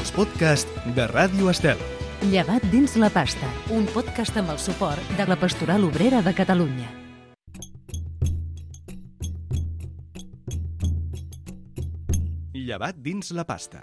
els podcasts de Ràdio Estel. Llevat dins la pasta, un podcast amb el suport de la Pastoral Obrera de Catalunya. Llevat dins la pasta.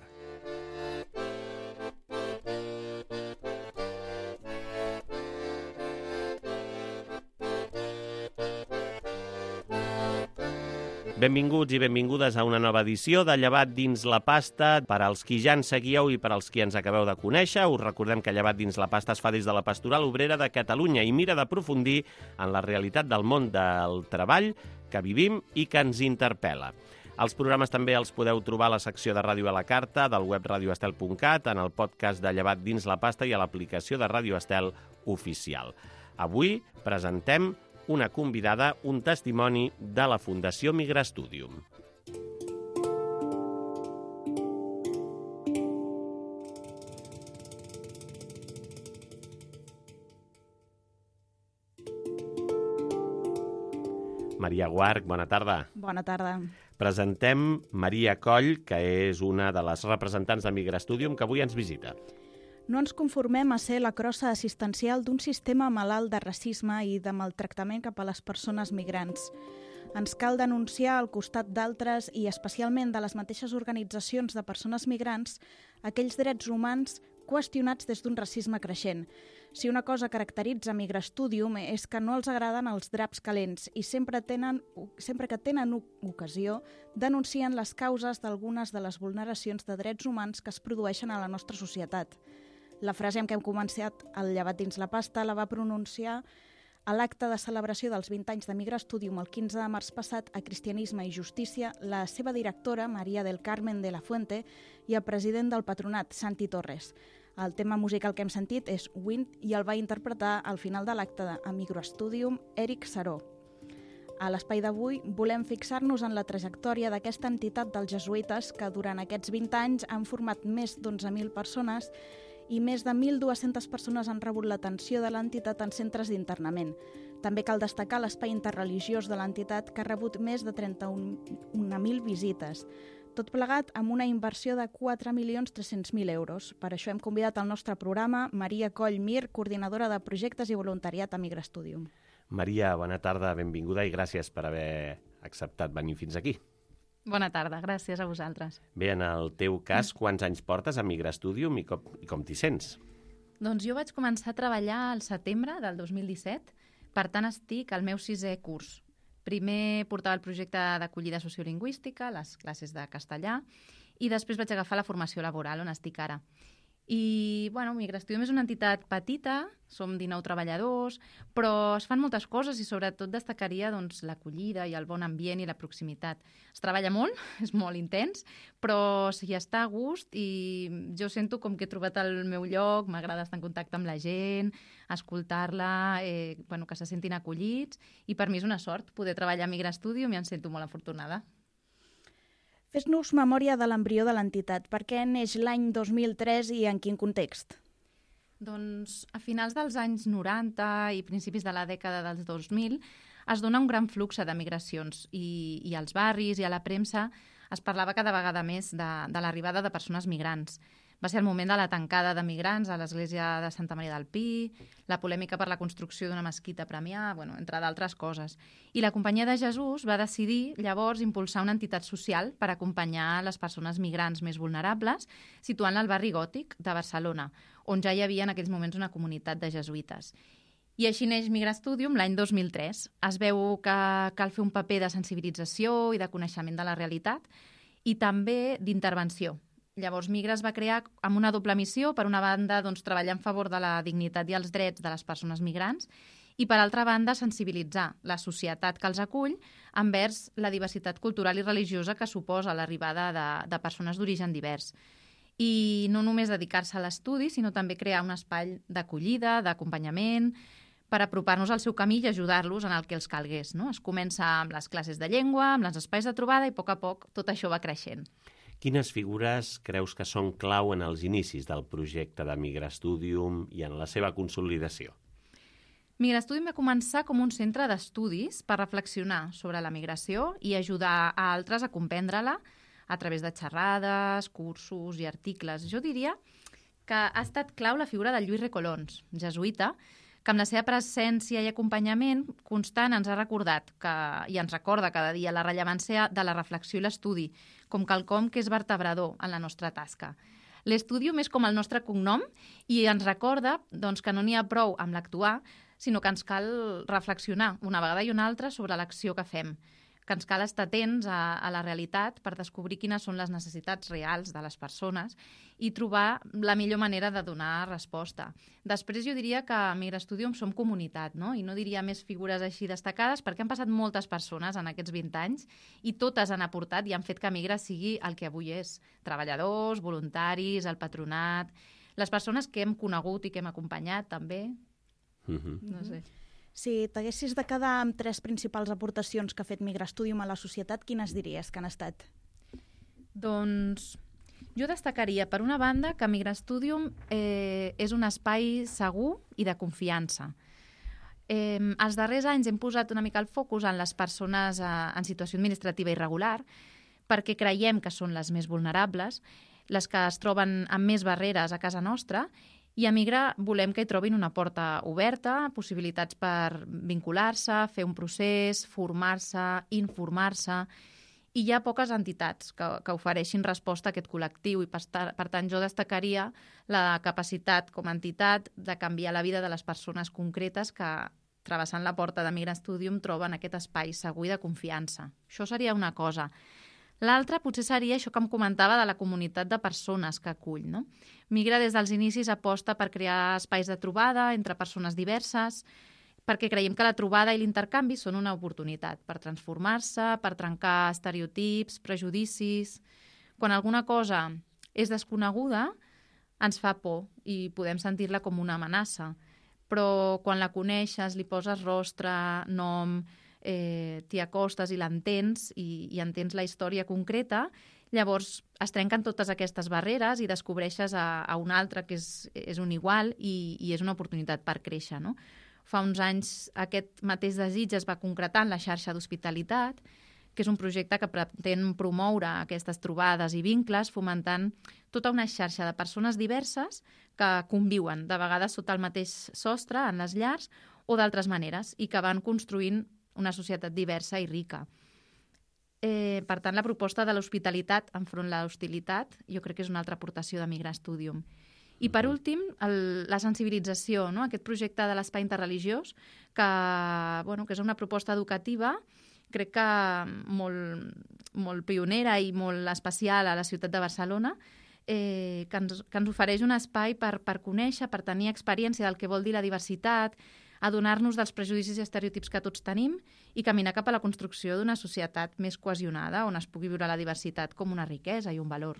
Benvinguts i benvingudes a una nova edició de Llevat dins la pasta. Per als qui ja ens seguieu i per als qui ens acabeu de conèixer, us recordem que Llevat dins la pasta es fa des de la Pastoral Obrera de Catalunya i mira d'aprofundir en la realitat del món del treball que vivim i que ens interpel·la. Els programes també els podeu trobar a la secció de Ràdio a la Carta del web radioestel.cat, en el podcast de Llevat dins la pasta i a l'aplicació de Ràdio Estel oficial. Avui presentem una convidada, un testimoni de la Fundació Migrastudium. Maria Guarch, bona tarda. Bona tarda. Presentem Maria Coll, que és una de les representants de Migrastudium que avui ens visita. No ens conformem a ser la crossa assistencial d'un sistema malalt de racisme i de maltractament cap a les persones migrants. Ens cal denunciar al costat d'altres i especialment de les mateixes organitzacions de persones migrants aquells drets humans qüestionats des d'un racisme creixent. Si una cosa caracteritza Migrastudium és que no els agraden els draps calents i sempre que tenen ocasió denuncien les causes d'algunes de les vulneracions de drets humans que es produeixen a la nostra societat. La frase amb què hem començat el Llevat dins la pasta la va pronunciar a l'acte de celebració dels 20 anys de Migrastudium el 15 de març passat a Cristianisme i Justícia, la seva directora, Maria del Carmen de la Fuente, i el president del patronat, Santi Torres. El tema musical que hem sentit és Wind i el va interpretar al final de l'acte a Migrastudium Eric Saró. A l'espai d'avui volem fixar-nos en la trajectòria d'aquesta entitat dels jesuïtes que durant aquests 20 anys han format més d'11.000 persones i més de 1.200 persones han rebut l'atenció de l'entitat en centres d'internament. També cal destacar l'espai interreligiós de l'entitat que ha rebut més de 31.000 visites. Tot plegat amb una inversió de 4.300.000 euros. Per això hem convidat al nostre programa Maria Coll Mir, coordinadora de projectes i voluntariat a Migrastudium. Maria, bona tarda, benvinguda i gràcies per haver acceptat venir fins aquí. Bona tarda, gràcies a vosaltres. Bé, en el teu cas, quants anys portes a Migrastudium i com t'hi sents? Doncs jo vaig començar a treballar al setembre del 2017, per tant estic al meu 6è curs. Primer portava el projecte d'acollida sociolingüística, les classes de castellà, i després vaig agafar la formació laboral, on estic ara. I, Migrastudium és una entitat petita, som 19 treballadors, però es fan moltes coses i sobretot destacaria l'acollida i el bon ambient i la proximitat. Es treballa molt, és molt intens, però s'hi està a gust i jo sento com que he trobat el meu lloc, m'agrada estar en contacte amb la gent, escoltar-la, que se sentin acollits, i per mi és una sort poder treballar a Migrastudium i em sento molt afortunada. Fes-nos memòria de l'embrió de l'entitat. Per què neix l'any 2003 i en quin context? Doncs a finals dels anys 90 i principis de la dècada dels 2000 es dona un gran flux de migracions i als barris i a la premsa es parlava cada vegada més de l'arribada de persones migrants. Va ser el moment de la tancada de migrants a l'església de Santa Maria del Pi, la polèmica per la construcció d'una mesquita a Premià, entre d'altres coses. I la Companyia de Jesús va decidir llavors impulsar una entitat social per acompanyar les persones migrants més vulnerables, situant-la al barri Gòtic de Barcelona, on ja hi havia en aquells moments una comunitat de jesuïtes. I així neix Migrastudium l'any 2003. Es veu que cal fer un paper de sensibilització i de coneixement de la realitat i també d'intervenció. Llavors, Migra es va crear amb una doble missió. Per una banda, treballar en favor de la dignitat i els drets de les persones migrants i, per altra banda, sensibilitzar la societat que els acull envers la diversitat cultural i religiosa que suposa l'arribada de persones d'origen divers. I no només dedicar-se a l'estudi, sinó també crear un espai d'acollida, d'acompanyament, per apropar-nos al seu camí i ajudar-los en el que els calgués. Es comença amb les classes de llengua, amb els espais de trobada i, a poc tot això va creixent. Quines figures creus que són clau en els inicis del projecte de Migrastudium i en la seva consolidació? Migrastudium va començar com un centre d'estudis per reflexionar sobre la migració i ajudar a altres a comprendre-la, a través de xerrades, cursos i articles. Jo diria que ha estat clau la figura del Lluís Recolons, jesuïta, que amb la seva presència i acompanyament constant ens ha recordat i ens recorda cada dia la rellevància de la reflexió i l'estudi, com quelcom que és vertebrador en la nostra tasca. L'Estudium és com el nostre cognom i ens recorda que no n'hi ha prou amb l'actuar, sinó que ens cal reflexionar una vegada i una altra sobre l'acció que fem, que ens cal estar atents a la realitat per descobrir quines són les necessitats reals de les persones i trobar la millor manera de donar resposta. Després jo diria que a Migrastudium som comunitat, no? I no diria més figures així destacades perquè han passat moltes persones en aquests 20 anys i totes han aportat i han fet que Migra sigui el que avui és. Treballadors, voluntaris, el patronat, les persones que hem conegut i que hem acompanyat també. No sé. Si t'haguessis de quedar amb 3 principals aportacions que ha fet Migrastudium a la societat, quines diries que han estat? Doncs jo destacaria, per una banda, que Migrastudium és un espai segur i de confiança. Els darrers anys hem posat una mica el focus en les persones en situació administrativa irregular perquè creiem que són les més vulnerables, les que es troben amb més barreres a casa nostra, i a Migra volem que hi trobin una porta oberta, possibilitats per vincular-se, fer un procés, formar-se, informar-se, i hi ha poques entitats que ofereixin resposta a aquest col·lectiu i, per tant, jo destacaria la capacitat com a entitat de canviar la vida de les persones concretes que, travessant la porta de Migrastudium, troben aquest espai segur i de confiança. Això seria una cosa. L'altra potser seria això que em comentava de la comunitat de persones que acull, no? Migra des dels inicis aposta per crear espais de trobada entre persones diverses, perquè creiem que la trobada i l'intercanvi són una oportunitat per transformar-se, per trencar estereotips, prejudicis. Quan alguna cosa és desconeguda, ens fa por i podem sentir-la com una amenaça. Però quan la coneixes, li poses rostre, nom, t'hi acostes i l'entens i entens la història concreta, llavors es trenquen totes aquestes barreres i descobreixes a un altre que és un igual i és una oportunitat per créixer, no? Fa uns anys aquest mateix desig es va concretar en la xarxa d'hospitalitat, que és un projecte que pretén promoure aquestes trobades i vincles, fomentant tota una xarxa de persones diverses que conviuen, de vegades sota el mateix sostre, en les llars, o d'altres maneres, i que van construint una societat diversa i rica. Per tant, la proposta de l'hospitalitat enfront la hostilitat jo crec que és una altra aportació de Migrastudium. I per últim, la sensibilització, no? Aquest projecte de l'espai interreligiós, que és una proposta educativa, crec que molt pionera i molt especial a la ciutat de Barcelona, que ens ofereix un espai per conèixer, per tenir experiència del que vol dir la diversitat, adonar-nos dels prejudicis i estereotips que tots tenim i caminar cap a la construcció d'una societat més cohesionada on es pugui viure la diversitat com una riquesa i un valor.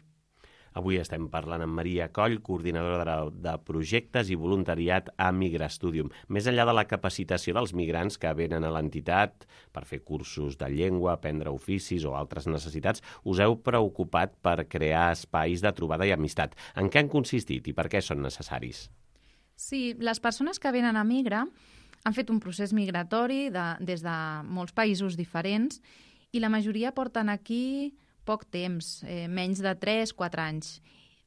Avui estem parlant amb Maria Coll, coordinadora de projectes i voluntariat a Migrastudium. Més enllà de la capacitació dels migrants que venen a l'entitat per fer cursos de llengua, aprendre oficis o altres necessitats, us heu preocupat per crear espais de trobada i amistat. En què han consistit i per què són necessaris? Sí, les persones que venen a Migra han fet un procés migratori des de molts països diferents i la majoria porten aquí poc temps, menys de 3-4 anys.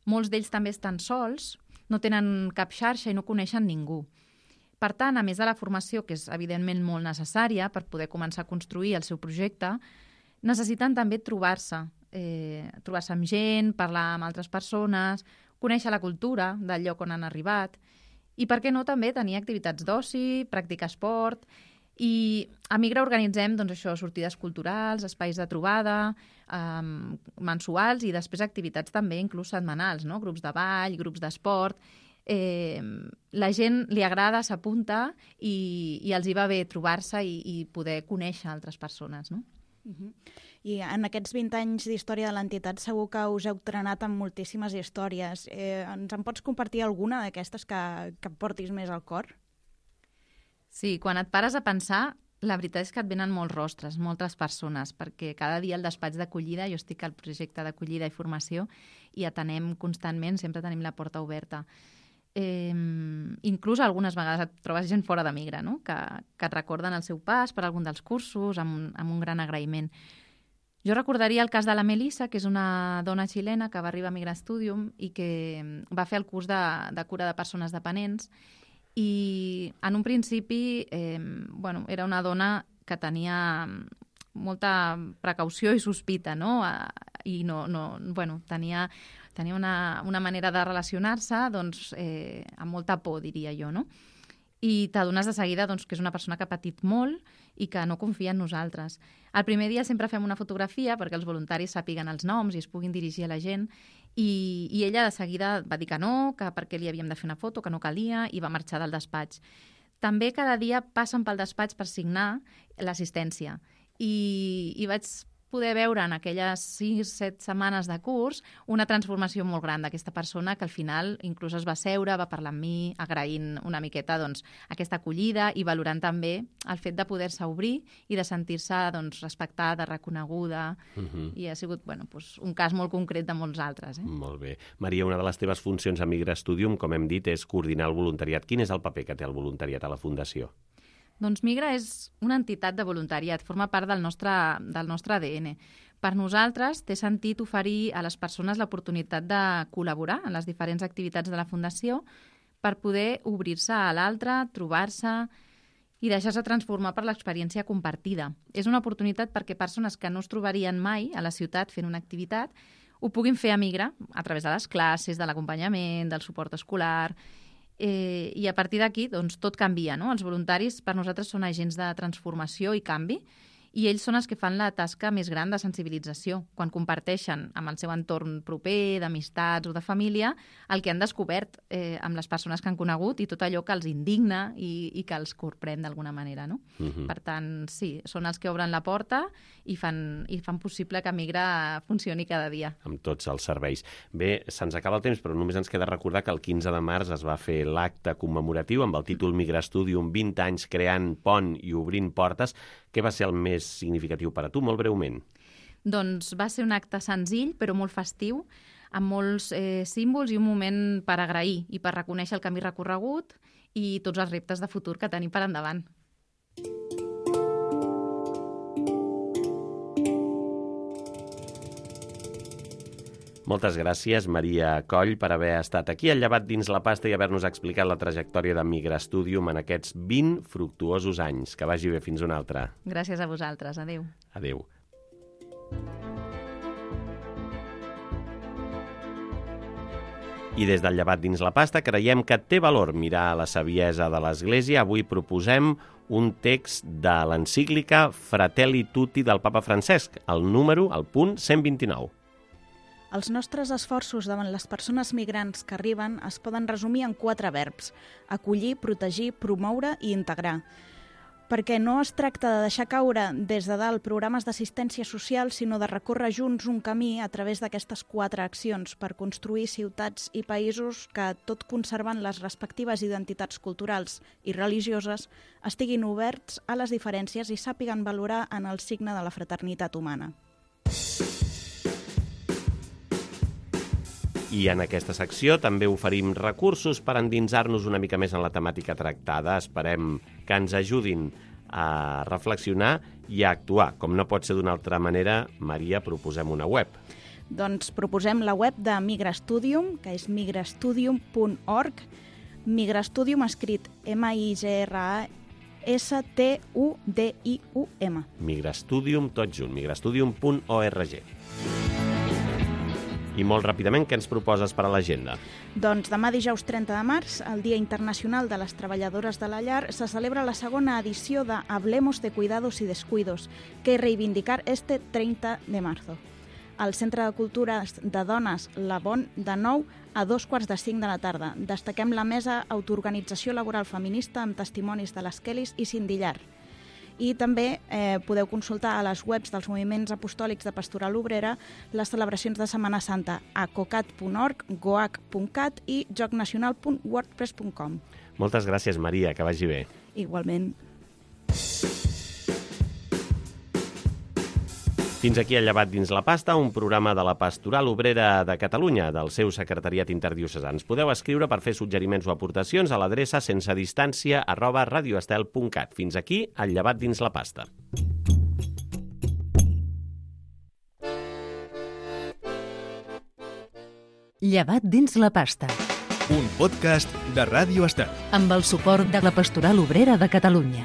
Molts d'ells també estan sols, no tenen cap xarxa i no coneixen ningú. Per tant, a més de la formació, que és evidentment molt necessària per poder començar a construir el seu projecte, necessiten també trobar-se amb gent, parlar amb altres persones, conèixer la cultura del lloc on han arribat i, per què no, també tenir activitats d'oci, practicar esport. I a Migra organitzem sortides culturals, espais de trobada, mensuals i després activitats també inclús setmanals, no? Grups de ball, grups d'esport. La gent li agrada, s'apunta i els hi va bé trobar-se i poder conèixer altres persones, no? I en aquests 20 anys d'història de l'entitat segur que us heu trenat amb moltíssimes històries. Ens en pots compartir alguna d'aquestes que portis més al cor? Sí, quan et pares a pensar, la veritat és que et venen molts rostres, moltes persones, perquè cada dia al despatx d'acollida, jo estic al projecte d'acollida i formació i atenem constantment, sempre tenim la porta oberta. Inclús algunes vegades et trobes gent fora de Migra, no? Que et recorden el seu pas per algun dels cursos amb un gran agraïment. Jo recordaria el cas de la Melissa, que és una dona xilena que va arribar a Migrastudium i que va fer el curs de cura de persones dependents, i en un principi era una dona que tenia molta precaució i sospita, no? I tenia una manera de relacionar-se amb molta por, diria jo, no? I t'adones de seguida que és una persona que ha patit molt i que no confia en nosaltres. El primer dia sempre fem una fotografia perquè els voluntaris sàpiguen els noms i es puguin dirigir a la gent, i ella de seguida va dir que no, que perquè li havíem de fer una foto, que no calia, i va marxar del despatx. També cada dia passen pel despatx per signar l'assistència, i vaig poder veure en aquelles 6-7 setmanes de curs una transformació molt gran d'aquesta persona, que al final inclús es va seure, va parlar amb mi, agraint una miqueta aquesta acollida i valorant també el fet de poder-se obrir i de sentir-se respectada, reconeguda. I ha sigut un cas molt concret de molts altres. Molt bé. Maria, una de les teves funcions a Migrastudium, com hem dit, és coordinar el voluntariat. Quin és el paper que té el voluntariat a la Fundació? Doncs Migra és una entitat de voluntariat, forma part del nostre ADN. Per nosaltres té sentit oferir a les persones l'oportunitat de col·laborar en les diferents activitats de la Fundació per poder obrir-se a l'altre, trobar-se i deixar-se transformar per l'experiència compartida. És una oportunitat perquè persones que no es trobarien mai a la ciutat fent una activitat ho puguin fer a Migra a través de les classes, de l'acompanyament, del suport escolar. I a partir d'aquí tot canvia, no? Els voluntaris per nosaltres són agents de transformació i canvi, i ells són els que fan la tasca més gran de sensibilització, quan comparteixen amb el seu entorn proper, d'amistats o de família, el que han descobert amb les persones que han conegut i tot allò que els indigna i que els corprèn d'alguna manera, no? Per tant, sí, són els que obren la porta i fan possible que Migra funcioni cada dia. Amb tots els serveis. Bé, se'ns acaba el temps, però només ens queda recordar que el 15 de març es va fer l'acte commemoratiu amb el títol Migrastudium 20 anys creant pont i obrint portes. Què va ser el més significatiu per a tu, molt breument? Doncs va ser un acte senzill, però molt festiu, amb molts símbols i un moment per agrair i per reconèixer el camí recorregut i tots els reptes de futur que tenim per endavant. Moltes gràcies, Maria Coll, per haver estat aquí al Llevat dins la pasta i haver-nos explicat la trajectòria de Migrastudium en aquests 20 fructuosos anys. Que vagi bé, fins una altra. Gràcies a vosaltres. Adéu. Adéu. I des del Llevat dins la pasta creiem que té valor mirar la saviesa de l'Església. Avui proposem un text de l'encíclica Fratelli Tutti del papa Francesc, el punt 129. Els nostres esforços davant les persones migrants que arriben es poden resumir en 4 verbs: acollir, protegir, promoure i integrar. Perquè no es tracta de deixar caure des de dalt programes d'assistència social, sinó de recórrer junts un camí a través d'aquestes 4 accions per construir ciutats i països que, tot conservant les respectives identitats culturals i religioses, estiguin oberts a les diferències i sàpiguen valorar en el signe de la fraternitat humana. I en aquesta secció també oferim recursos per endinsar-nos una mica més en la temàtica tractada. Esperem que ens ajudin a reflexionar i a actuar. Com no pot ser d'una altra manera, Maria, proposem una web. Doncs proposem la web de Migrastudium, que és migrastudium.org. Migrastudium escrit Migrastudium. Migrastudium, tot junt, migrastudium.org. I molt ràpidament, què ens proposes per a l'agenda? Doncs demà dijous 30 de març, el Dia Internacional de les Treballadores de la Llar, se celebra la segona edició de Hablemos de Cuidados y Descuidos, que reivindicar este 30 de marzo. Al Centre de Cultures de Dones La Bon, de 9 a 2:45 de la tarda. Destaquem la mesa Autoorganització Laboral Feminista amb testimonis de les Kellys i Cindy Llar. I també podeu consultar a les webs dels moviments apostòlics de Pastoral Obrera les celebracions de Setmana Santa a cocat.org, goac.cat i jocnacional.wordpress.com. Moltes gràcies, Maria, que vagi bé. Igualment. Fins aquí el Llevat dins la pasta, un programa de la Pastoral Obrera de Catalunya, del seu secretariat interdiocesà. Ens podeu escriure per fer suggeriments o aportacions a l'adreça sensedistància@radioestel.cat. Fins aquí el Llevat dins la pasta. Llevat dins la pasta, Un podcast de Ràdio Estel. amb el suport de la Pastoral Obrera de Catalunya.